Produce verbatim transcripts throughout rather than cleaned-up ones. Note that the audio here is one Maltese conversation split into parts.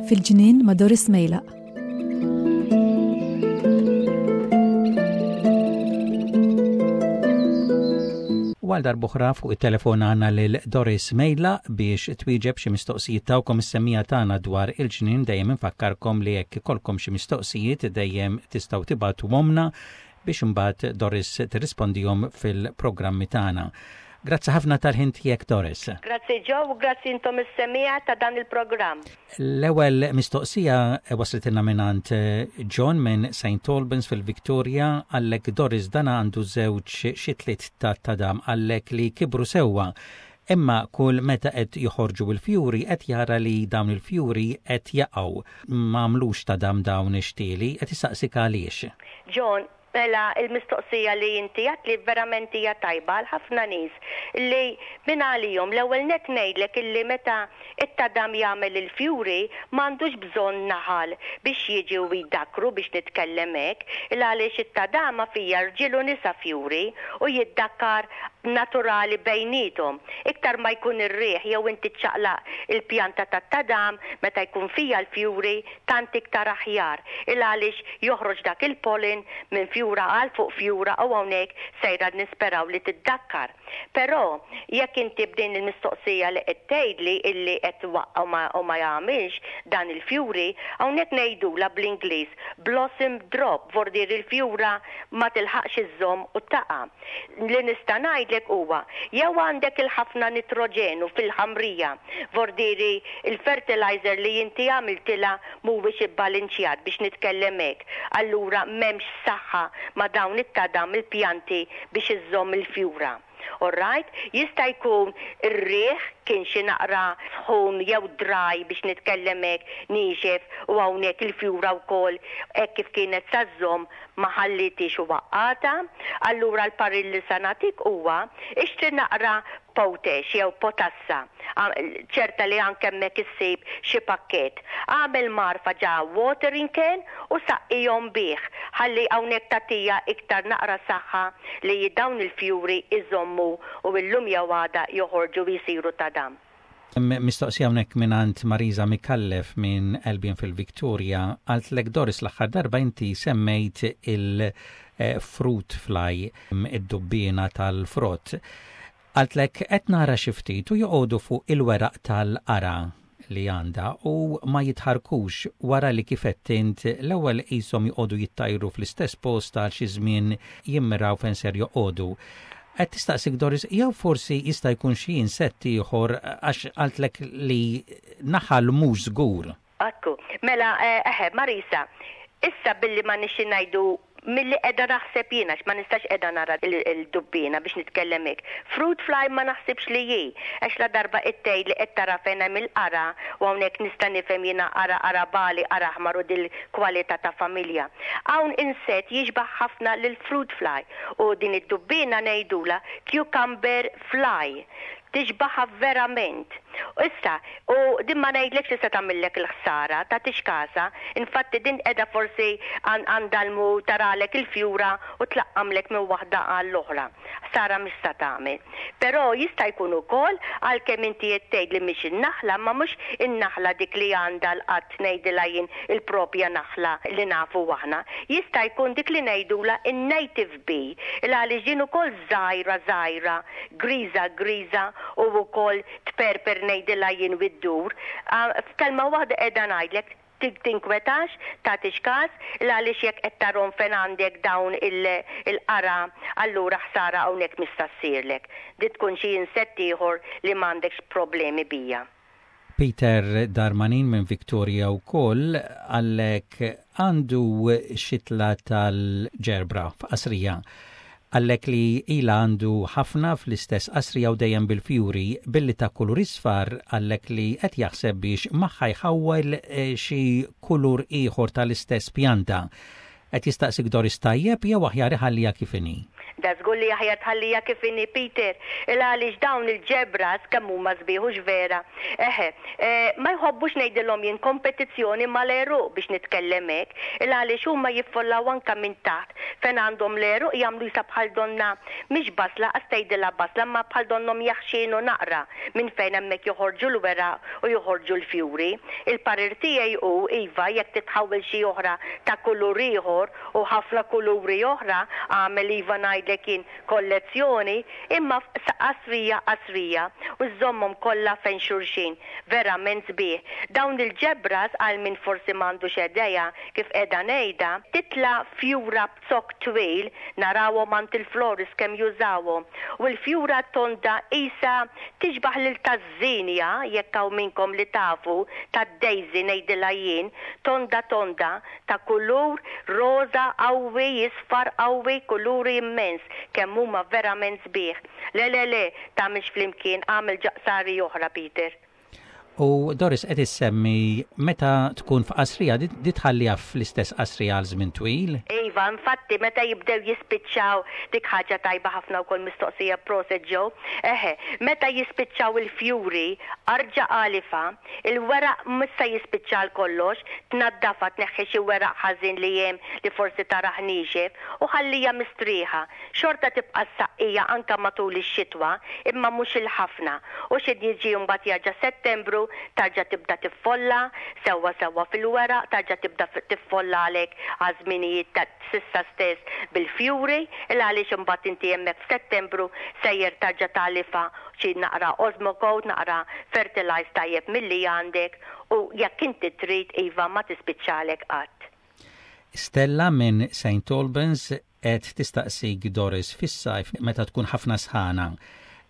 Fil-ġnien ma' Doris Mejlaq. U għal darb'oħra fuq it-telefon għandna lil Doris Mejlaq biex twieġeb xi mistoqsijiet tagħkom is-semmiegħa tagħna dwar il-ġnien. Dejjem infakkarkom li jekk ikollkom xi mistoqsijiet, dejjem tistgħu tibagħtuhomlna biex imbagħad Doris tirrispondihom fil-programmi tagħna. Grazzi ħafna tal-ħin tiegħek, Doris. Grazzi Joe u grazzi intom is-semmiegħa ta' dan il-programm. L-ewwel mistoqsija waslitilna mingħand eh, John minn Saint Albans fil-Victoria. Qallek, Doris, dan għandu żewġ xitliet ta' tadam, qallek li kibru sewwa. Imma kull meta qed joħorġu il-fjuri qed jara li dawn il-fjuri qed jaqgħu. M'għamlux tadam dawn ix-xtieli, qed isaqsik għaliex. John, mela il-mistoqsija li inti għedtli verament hija tajba għal ħafna nies li minn għalihom. L-ewwel net ngħidlek illi meta it-tadam jagħmel il-fjuri m'għandux bżonn naħal biex jiġi u jdakkru, biex nitkellem hekk, il għaliex it-tadama fija rġiel u nisa fjuri u jiddakkar naturali bejniethom. Iktar ma jkun ir-riħ jew inti ċaqlaq il-pjanta tat-tadam meta jkun fija l-fjuri, tant iktar aħjar, il għaliex joħroġ dak il-pollen minn fjura għal fuq fjura u hawnhekk sejra nisperaw li tiddakkar. Però jekk inti b'din il-mistoqsija li qed tgħidli illi qed waqqa' u ma jagħmilx dan il-fjuri, hawnhekk ngħidula bl-Ingliż blossom drop, vordir il-fjura ma tilħaqx iżżomm u taqa'. Li nista' ngħidlek huwa jew għandek il-ħafna nitroġenu fil-ħamrija, vordiri il-fertilizer li inti għamiltilha mhuwiex ibbalinċjat, biex nitkellem hekk. Allura m'hemmx saħħa ma' dawn it-tadam il-pjanti biex iżżomm il-fjura. Alright? Jista' jkun ir-riħ kien xi naqra sħun jew dry, biex nitkellem hekk, niexef, u hawnhekk il-fjura wkoll hekk kif kienet sa żżomm ma ħallitix u waqqgħetha. Allura l-parir li sa nagħtik huwa ixtri naqra potash jew potassa. Ċerta li anke hemmhekk issib xi pakkett. Għamel mgħarfa ġo watering can u saqqihom bih. Ħalli hawnhekk tagħtiha iktar naqra saħħa li dawn il-fjuri iżommu u illum jew għada joħorġu jisiru tadam. Mistoqsija hawnhekk mingħand Marisa Mikallef minn Albion fil-Victoria. Qaltlek, Doris, l-aħħar darba inti semmejt il-fruit fly, id-dubbiena tal-frott. Qaltlek qed nara xi ftit u joqogħdu fuq il-weraq tal-qara li għandha u ma jitħarkux wara li kif int l-ewwel qishom joqogħdu jittajru fl-istess post għal xi żmien, jimmiraw fejn ser joqogħdu. Qed tistaqsik, Doris, jew forsi jista' jkun xi insett ieħor, għax qaltlek li naħal mhux żgur. Ekku, mela, eħe, Marisa, issa billi ma nixi ngħidu milli qiegħda naħseb jiena, ma nistax qiegħda nara il-dubbina, biex nitkellem hekk. Fruit fly ma naħsibx li hi, għax la darba it-tej li qed tara fejn hemm il-qara u hawnhekk nista' nifhem jiena qara, qara bali, qara aħmar u dil-kwalità ta' familja. Hawn insett jixbaħ ħafna lil fruit fly u din id-dubbina ngħidula cucumber fly, tixbaħa verament. U issa, u din ma ngħidlekx li se tagħmillek il-ħsara, tagħtix kasha, infatti din qiegħda forsi għandalmu taralek il-fjura u tlaqqamlek minn waħda għall-oħra. Ħsara mhix sa tagħmel. Però jista' jkun ukoll, għalkemm inti qed tgħid li mhix in-naħla, ma mhux in-naħla dik li għandha l-qatt, ngħidilha jien il-propja naħla li nafu aħna. Jista' jkun dik li ngħidula in-native bee, il għaliex din ukoll żgħira żgħira, griża griża u wkoll tperper, ngħidilha jien, iddur. F'kelma waħda qiegħda ngħidlek tinkwetax, tagħtix kas, għaliex jekk qed tarahom fejn għandek dawn il-qara, allura ħsara hawnhekk mista ssirlek. Di tkun xi insett ieħor li m'għandekx problemi biha. Peter Darmanin minn Victoria wkoll qallek għandu xitla tal-ġerbra f'qasrija. Qallek li ila għandu ħafna fl-istess qasrija u dejjem bil-fjuri billi ta' kulur isfar. Qallek li qed jaħseb biex magħha jħawwel eh, xi kulur ieħor tal-istess pjanta. Qed jistaqsik, Doris, tajjeb jew aħjar iħalliha kif inhi? Da żgur li aħjar tħallija kif inhi, Peter, il għaliex dawn il-ġebras kemm huma sbieħ vera. Eħe, eh, ma jħobbux, ngħidilhom jien, kompetizzjoni mal-għeruq, biex nitkellem hekk, il għaliex huma jiffollaw anka minn taħt fejn għandhom l-għeruq, jagħmlu jisa bħal donna mhix basla, qas tgħidilha basla, ma bħal donhom jaħxinu naqra minn fejn hemmhekk joħorġu l-weraq u joħorġu l-fjuri. Il-parir tiegħi hu iva, jekk titħawel xi oħra ta' kulur ieħor u ħafna kuluri oħra, għamel, iva, ngħidlek jien, kollezzjoni, imma qasrija qasrija u żommhom kollha fejn xulxin. Verament sbieħ. Dawn il-ġebras, għal min forsi m'għandux idea kif qiegħda ngħidha, titla' fjura b'zokk twil, narawhom għand il-florist kemm jużawhom. U l-fjura tonda isa tixbaħ lil taż-zinja, jekk hawn minnkom li tafu, tad-daisy ngħidilha jien, tonda tonda ta' kulur roża qawwi, isfar qawwi, kuluri immens, kemm huma verament sbieħ. Le, le, le, tagħmilx flimkien, għamel ġo qsari oħra, Peter. U Doris, qed issemmi meta tkun f'qasrija, di tħalliha fl-istess qasrija għal żmien twil? Iva, infatti meta jibdew jispiċċaw, dik ħaġa tajba ħafna wkoll mistoqsija, proset, Joe. Eħe, meta jispiċċaw il-fjuri, arġa għalifha, il-weraq mhux se jispiċċa għal kollox, tnaddafa, tneħħi xi weraq ħażin li hemm li forsi tarah niexef u ħallija mistrieħa. Xorta tibqa' saqqija anka matul ix-xitwa, imma mhux il-ħafna. U xi jiġi mbagħad jerġa' Settembru, tarġa' tibda tiffolla, sewwa sewwa fil-weraq, tarġa' tibda tiffolla għalek għaż-żminijiet ta' s'issa stess bil-fjuri, il għaliex imbagħad inti hemmhekk f'Settembru sejjer tarġa' tagħlifha xi naqra Osmocote, naqra fertilize tajjeb milli għandek, u jekk inti trid, iva, ma tispiċċalek qatt. Stella minn Saint Albans qed tistaqsik, Doris, fis-sajf meta tkun ħafna sħana,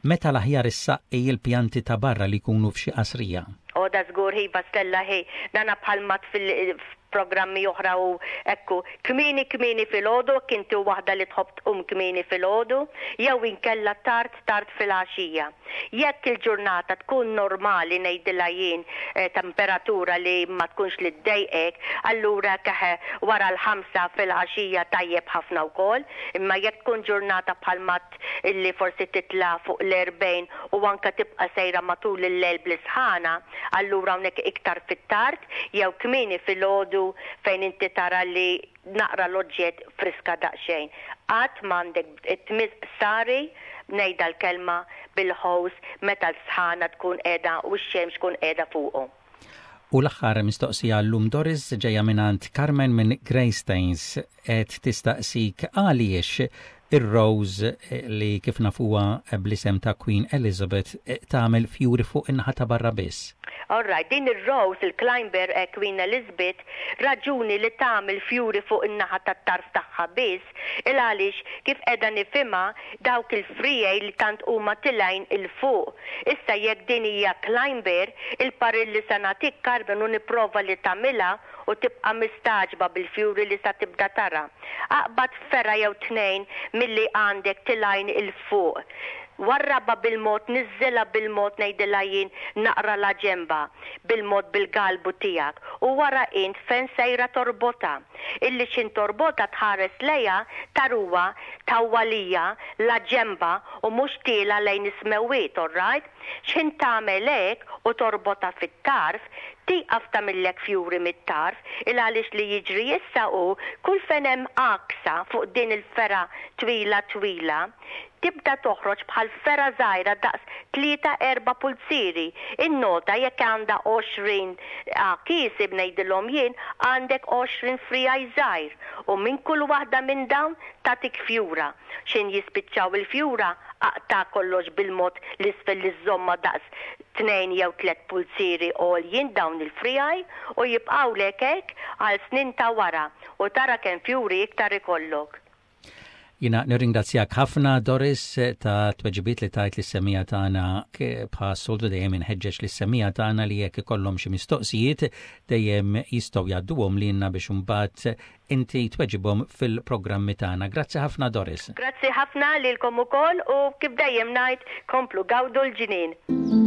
meta l-aħjar issaqqi il-pjanti ta' barra li jkunu f'xi qasrija? O, da żgur, iva, Stella, ħi, dana bħalma fil programmi oħra u ekku, kmieni kmieni filgħodu, kinti waħda li tħobb tqum kmieni filgħodu, jew inkella tard tard filgħaxija. Jekk il-ġurnata tkun normali, ngħidilha jien, eh, temperatura li ma tkunx li ddejqek, allura keħe wara l-ħamsa filgħaxija tajjeb ħafna wkoll, imma jekk tkun ġurnata bħal mat illi forsi titla' fuq l-erbgħin u anka tibqa' sejra matul il-lejl bl-isħana, allura hawnhekk iktar fit-tard jew kmieni filgħodu fejn inti tara li naqra l-oġġett friska daqsxejn. Qatt m'għandek tmiss qsari, ngħidha l-kelma, bil-hose meta l-sħana tkun qiegħda u x-xemx tkun qiegħda fuqu. U l-aħħar mistoqsija llum, Doris, ġejja mingħand Carmen minn Greystanes, qed tistaqsik għaliex ir-Rose, li kif nafuha bl-isem ta' Queen Elizabeth, tagħmel fjuri fuq in-naħa ta' barra biss. All right, din ir-Rose, il-climber eh, Queen Elizabeth, raġuni li tagħmel fjuri fuq in-naħa tat-tarf tagħha biss, il għaliex kif qiegħda nifhimha, dawk il-frijej li tant huma tilgħin 'il fuq. Issa jekk din hija climber, il-parir li se nagħtik, Carmen, u nipprova li tagħmilha u tibqa' mistagħġba bil-fjuri li sa tibda tara. Aqbad fergħa jew tnejn milli għandek tilgħin 'il fuq. Warraba bil-mod, niżżilha bil-mod, ngħidilha jien, naqra la ġemba, bil-mod bil-galbu tiegħek. U wara int fejn sejra torbota. Illi xin torbota tħares lejha taruha tawwalija la ġemba u mhux tiela' lejn is-smewwiet, all right? X'ħin tagħmel hekk u torbota fit-tarf, tieqaf tagħmillek fjuri mit-tarf, il għaliex li jiġri issa u kull fejn hemm għaksa fuq din il-fergħa twila twila, tibda toħroġ bħal fergħa żgħira daqs tlieta erba' pulzieri. Innota jekk għandha għoxrin għakies, ngħidilhom jien, għandek għoxrin frijaj żgħir u minn kull waħda minn dawn tagħtik fjura. X'ħin jispiċċaw il-fjura, aqta' kollox bil-mod l-isfel li żomma daqs tnejn jew tliet pulzieri għoljin dawn il-frijaj u jibqgħulek hekk għal snin ta' wara u tara kemm fjuri iktar ikollok. Jiena nirringrazzjak ħafna, Doris, ta' tweġibiet li tajt lis-semmiegħa tagħna. Bħas-soltu dejjem inħeġġeġ lis-semmiegħa tagħna li jekk ikollhom xi mistoqsijiet dejjem jistgħu jgħadduhom lilna biex imbagħad inti tweġibhom fil-programmi tagħna. Grazzi ħafna, Doris. Grazzi ħafna lilkom ukoll u kif dejjem ngħid, komplu gawdu l-ġnien.